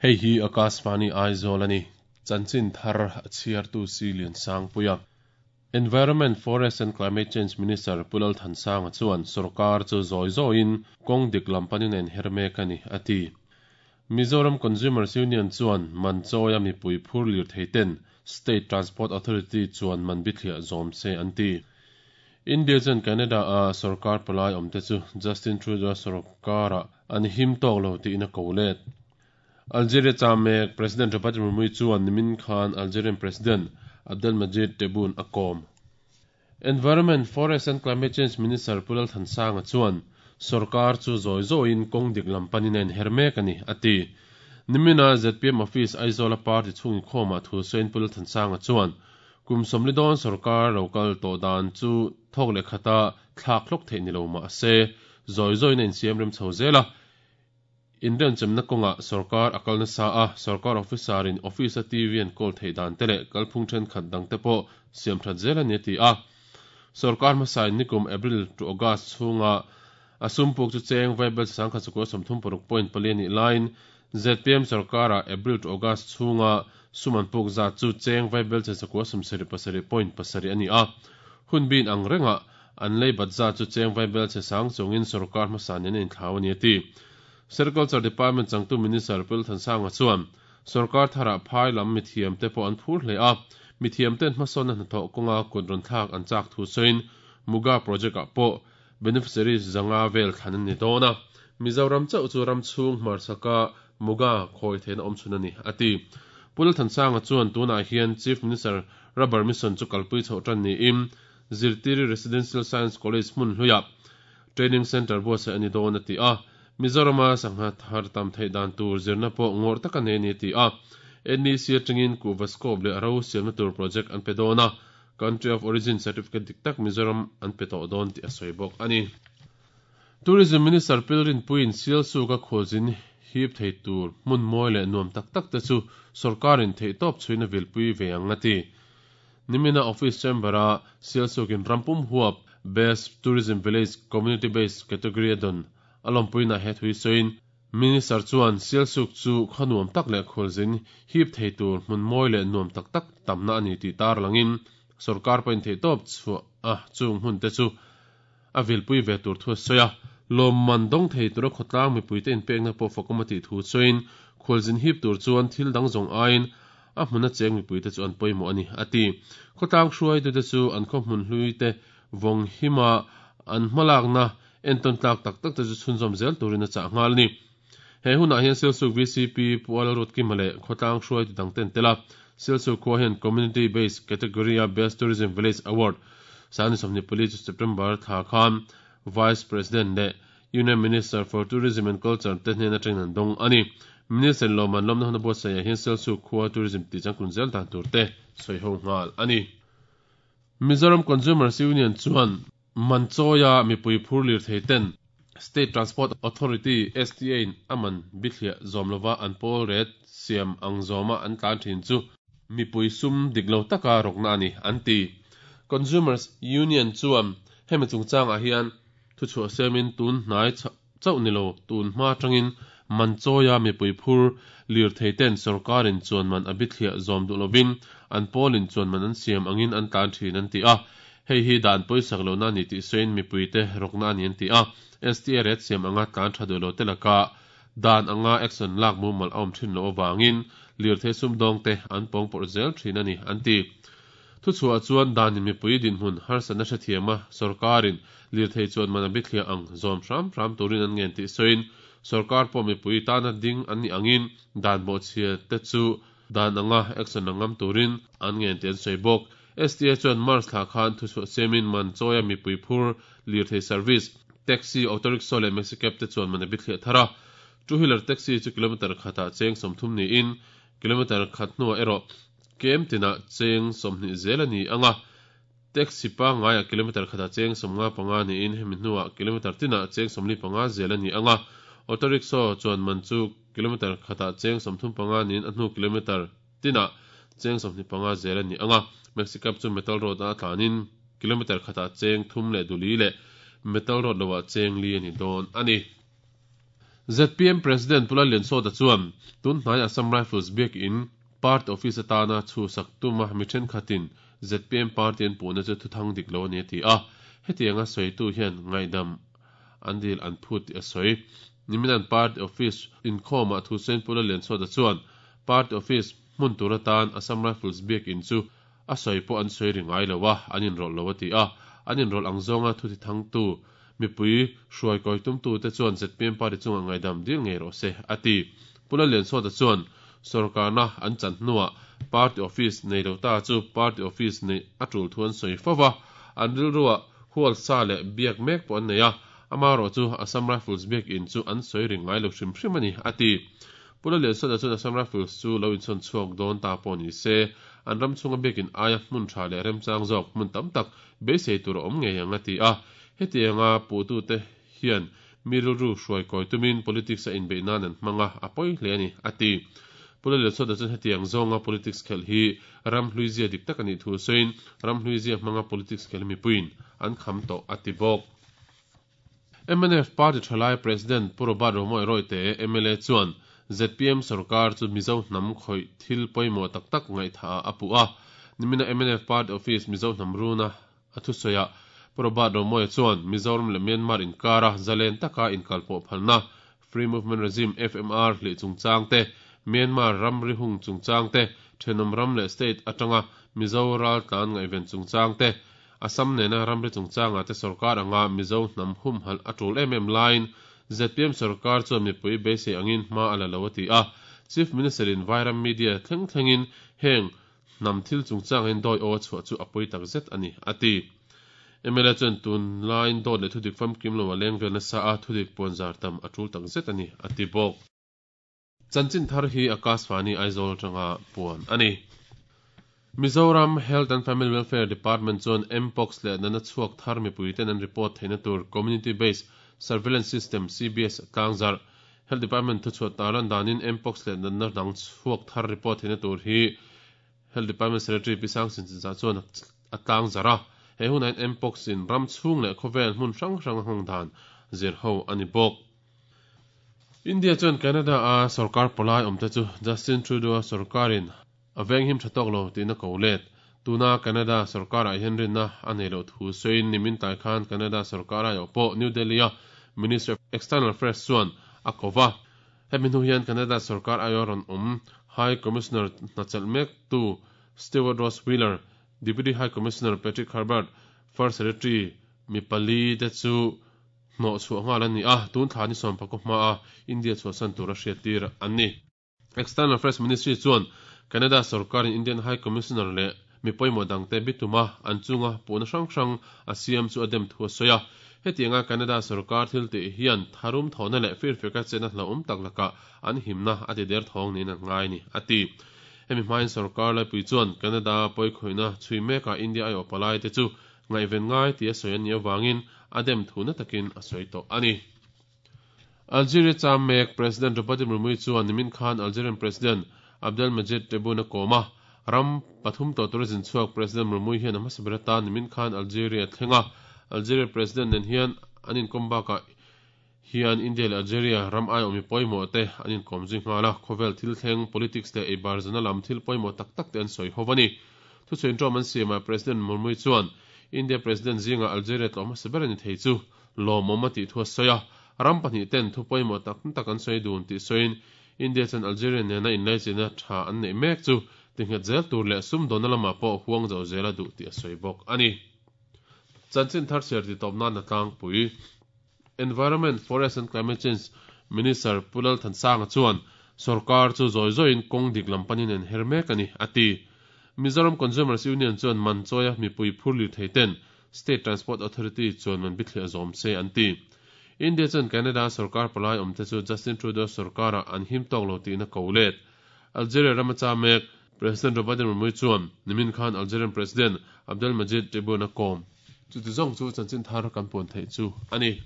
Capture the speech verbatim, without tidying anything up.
Hei hi Akashvani Aizawl ani. Chanchin thar a chhiartu Silian Sangpuia. Environment, Forest and Climate Change Minister Pu Lal Thansanga chuan sarkar chu zawi zawiin kawng dik lam panin a inher mek a ni, a ti. Mizoram Consumers Union chuan man chawia mipui phur lir thei ten State Transport Authority chuan man bithliah zawm se an ti. India chuan Canada a sarkar palai awmte chu Justin Trudeau sarkarah an him tawk lo tiin a ko let. Algeria chamek President Robert Murmu chuan nimin khan Algerian President Abdelmadjid Tebboune a kawm. Environment, Forest and Climate Change Minister Pu Lal Thansanga chuan sarkar chu zawi zawiin kawng dik lam panin a inher mek a ni, a ti. Nimina Z P M Office Aizawl party chhung inkhawmah thu sawiin Pu Lal Thansanga chuan kum sawmli dawn sarkar local tawh dan chu thawk leh khata thlak hlawk theih ni lo mah se zawi zawiin a insiam rem chho zel a. Indian chemna kawnga sarkar a kalna sa a sarkar officer in office a T V an call thei dan te leh kalphung thenkhat dang te pawh siam that zel a ni ti a. Sarkar hmasa in nikum April to August chhunga a sumpuk chu cheng vaibel sangkhat chukua sawmthum paruk point pali ani line Z P M sarkara April to August chhunga suman puk za chu cheng vaibel chakua sawmsarih pasarih point pasarih ani a. Hun bin ang renga an lei bat za chu cheng vaibel che sang chungin sarkar hmasa nen in thlau ani ti. Sericulture Department changtu Minister Pu Lal Thansanga chuan sarkar thara phai lam mithiam te pawh an phur hle a. Mithiam ten hmasawn na hnathawh kawnga kut rawn thlak an chak thu sawiin Muga project ah pawh beneficiaries zanga vel thlan an ni dawn a. Mizoram chauh chu ram chhung hmarsaka Muga khawi theihna awm chhun a ni, a ti. Pu Lal Thansanga chuan tunah hian Chief Minister Rubber Mission chu kalpui chhoh tan niin Zirtiri Residential Science College hmun hluiah Training Center buatsaih a ni dawn a ti a. Mizorama sangha thar tam theih dan tur zirna pawh ngawr taka nei ni ti a. N E C atangin Kuvaskop leh ro siamna tur project an pe dawn a. Country of Origin Certificate dik tak Mizoram an pe tawh dawn ti a sawi bawk ani. Tourism Minister Pilrin Puin Sialsuk a khawlzin hip thei tur hmun mawi leh nuam tak tak te chu sarkarin thei tawp chhuina vilpui ve ang a ti. Nimina Office Chamber a Sialsukin rampum huap Best Tourism Village Community Based Category a don alawmpuina he thui sawiin Minister chuan Sialsuk chu khanuam tak leh khawlzin hip thei tur hmun mawi leh nuam tak tak tamna ani ti tar langin sarkar pawhin thei tawp chu a chung hmun te chu a vilpui ve tur thu sawi a. Lawm man dawng thei tura khawtlang mipui te inpekna pawh fakawm a tih thu sawiin khawlzin hip tur chuan thil dang zawng aiin a hmun a cheng mipui te chu an pawimawh ani a ti. Khawtlang hruai tu te chu an khaw hmun hlui te vawng hima an hmalakna enton tlak tak tak te chu chhunzawm zel turin a chah nghal ni. He hunah hian Sialsuk V C P Pu Lal Ruatkima leh khawtlang hruai tu dang ten tela Sialsuk khua hian Community Based Category a Best Tourism Village Award sani sawmhnih pali chu September thla khan Vice President leh Union Minister for Tourism and Culture te hnen atangin an dawng ani. Minister lawman lawmna huna buatsaih hian Sialsuk khua tourism ti changtlun zel dan tur te sawi ho nghal ani. Mizoram Consumers Union chuan man chawia mipui phur lir thei ten State Transport Authority S T A in aman bithliah zawm lova an pawl ret siam ang zawma an tlan thin chu mipui sum dik lo taka rawkna ani an ti. Consumers Union chuan hemi chungchangah hian thu chhuah semin tun hnai chauh ni lo tun hma tangin man chawia mipui phur lir thei ten sarkarin chuan man a bithliah zawm duh lovin an pawlin chuan man an siam angin an tlan thin an ti a. Hei hi dan pawisak lo na ni tih sawiin mipui te rawkna ani an ti a. S T A ret siam anga tlan tha duh lo te laka dan anga action lak mumal a awm thin lo awangin lir thei sum dawng te an pawng pawrh zel thin ani an ti. Thu chhuah chuan dan in mipui dinhmun harsatna hrethiama sarkarin lir thei chuan man a bithliah ang zawm hram hram turin an ngen tih sawiin sarkar pawh mipui tana ding an ni angin dan bawhchhia te chu dan anga action angam turin an ngen tih an sawi bawk. S T A chuan March thla khan thu chhuah semin man chawia mipui phur lir thei service taxi auto rickshaw leh maxi cab te chuan man a bithliah thar a. Two wheeler taxi chu kilometer khatah cheng sawmthum niin kilometer khat hnuah erawh kem tinah cheng sawmhnih zel ani anga. Taxi pangngai kilometer khatah cheng sawmnga panga niin hemi hnuah kilometer tinah cheng sawmli panga zel ani anga. Auto rickshaw chuan man chu kilometer khatah cheng sawmthum panga niin a hnu kilometer tinah cheng sawmhnih panga zel ani anga. Maxi cab chu metal road a tlanin kilometer khatah cheng thum leh duli leh metal road loah cheng li ani dawn ani. Z P M President Pu Lalliansawta chuan tun hnai Assam Rifles biak in party office atana chu sak tuma mi thenkhatin Z P M party an puhna chu thuthang dik lo ani a ti a. Hetianga sawitu hian ngaidam an dil an phut tih a sawi. Niminan party office inkhawmah thu sawiin Pu Lalliansawta chuan party office hmun tur atan Assam Rifles biak in chu a sawi pawh an sawi ri ngai lo a, an inrawlh lo a ti a. An inrawlh ang zawnga thu ti thangtu mipui hruai kawi tumtu te chuan Z P M party chunga ngaidam dil ngei rawh se a ti. Pu Lalliansawta chuan sorkarna an chan hnuah party office nei lo ta chu party office nei a tul thu an sawi fova, an rilruah hual sa leh biak mek pawh an nei a, ama rawh chu Assam Rifles biak in chu an sawi ri ngai lo hrim hrim ani a ti. Pu Lalliansawta chuan Assam Rifles chu lo insawn chhuak dawn ta pawh ni se, an ram chunga biak in aia hmun tha leh remchang zawk hmun tam tak beisei tur a awm ngei ang a ti a. Hetianga puhtu te hian mi rilru hruai kawi tumin politics a inbeih nan an hmanga a pawi hle ani a ti. Pu Lalliansawta chuan hetiang zawnga politics khelh hi ram hlui zia dik tak ani thu sawiin ram hlui zia hmanga politics khelh mipuiin an kham tawh a ti bawk. M N F Party Thalai President Pu Robert Romawia Royte M L A chuan Z P M sarkar chu Mizo hnam khawih thil pawimawh tak tak ngaihtha a pu a. Nimina M N F Party Office Mizo hnam runa a thu sawiah Pu Robert Romawia chuan Mizoram leh Myanmar inkara zalen taka inkalpawh phalna Free Movement Regime F M R hlih chungchang te, Myanmar ramri hung chungchang te, Thenawm ram leh state atanga Mizo ral tlan ngaihven chungchang te, Assam nena ramri chungchanga te sarkar anga Mizo hnam hum halh a tul em em laiin Z P M sarkar chuan mipui beisei angin hma a la lo a ti a. Chief Minister in Vairam Media thleng thlengin heng hnam thil chungchang in dawi aw a chhuah chu a pawi tak zet ani a ti. M L A chuan tun laiin dawt leh thudik famkim lo a leng vel nasa a, thudik puanzar tam a tul tak zet ani a ti bawk. Chanchin thar hi Akashvani Aizawl tanga puan ani. Mizoram Health and Family Welfare Department chuan Mpox leh nana chhuak thar mipui ten an report theihna tur Community Based Surveillance System C B S tlangzar. Health Department thu chhuat taran danin Mpox leh nana dang chhuak thar report theihna tur hi Health Department Secretary Pisang Sinchinza chuan a tlangzara. He hunain Mpox in ram chung leh khawvel hmun hrang hrang hawng dan zir ho ani bawk. India chuan Canada a sarkar palai awmte chu Justin Trudeau a sarkarin a veng him thatawk lo tina ko let. Tuna Canada sarkar ah hian rinna a nei lo thu sawiin nimin tai khan Canada sarkar a pawh New Delhi a Minister of External Affairs chuan a kova. Hemi hnu hian Canada sarkar ayo rawn awm High Commissioner hnachelh mek tu Stewart Ross Wheeler, Deputy High Commissioner Patrick Herbert, First Secretary Mipali te chu hnaw chhuah nghal ani a, tun thla ni sawm pakua hma a India chhuahsan tur a hriat tir an ni. External Affairs Ministry chuan Canada sarkar in Indian High Commissioner leh mipawimawh dangte bituma an chunga puhna hrang hrang a siam chu a dem thu a sawi a. Hetianga Canada sarkar thil tih hian tharum thawhna leh firfeka chena hlauhawm tak laka an himna a ti der thawng niin an ngai ni a ti. Hemi hmain sarkar laipui chuan Canada pawikhoina chhui meka India ai awpalai te chu ngaihven ngai ti a sawi an ni awangin a dem thu na takin a sawi tawh ani. Algeria cham mek President Draupadi Murmu chuan nimin khan Algerian President Abdelmadjid Tebboune a kawm a. Ram pathum tawh tur zin chhuak President Murmu hian a hmasa ber atan nimin khan Algeria thlenga. Algeria President nen hian an inkawm bakah hian India leh Algeria ram ai awmi pawimawh te an inkawm zui nghal a. Khawvel thil thleng politics leh eibar zana lam thil pawimawh tak tak te an sawi ho ani. Thu sawiin ṭawm an siamah President Murmu chuan India President zinga Algeria tlawh hmasa ber ani thei chu lawmawm a tih thu a sawi a. Ram pahnih ten thu pawimawh tak tak an sawi dun tih sawiin India chuan Algeria nena inlaichina tha an neih mek chu tinghet zel tur leh sum dawna lamah pawh huang zo zela duh tih a sawi bawk ani. Chanchin thar chhiar ti tawp nan a tlangpui. Environment, Forest and Climate Change Minister Pu Lalthansanga chuan sarkar chu zawi zawiin kawng dik lam panin an her mek ani a ti. Mizoram Consumers Union chuan man chawia mipui phur lir thei ten State Transport Authority chuan man bithliah zawm se an ti. India chuan Canada sarkar palai awmte chu Justin Trudeau sarkara an him tawk lo tihna ko let. Algeria rama cha mek President Draupadi Murmu chuan nimin khan Algerian President Abdelmadjid Tebboune a kawm. Chu ti zawng chu chanchin thar kan puan theih chu ani.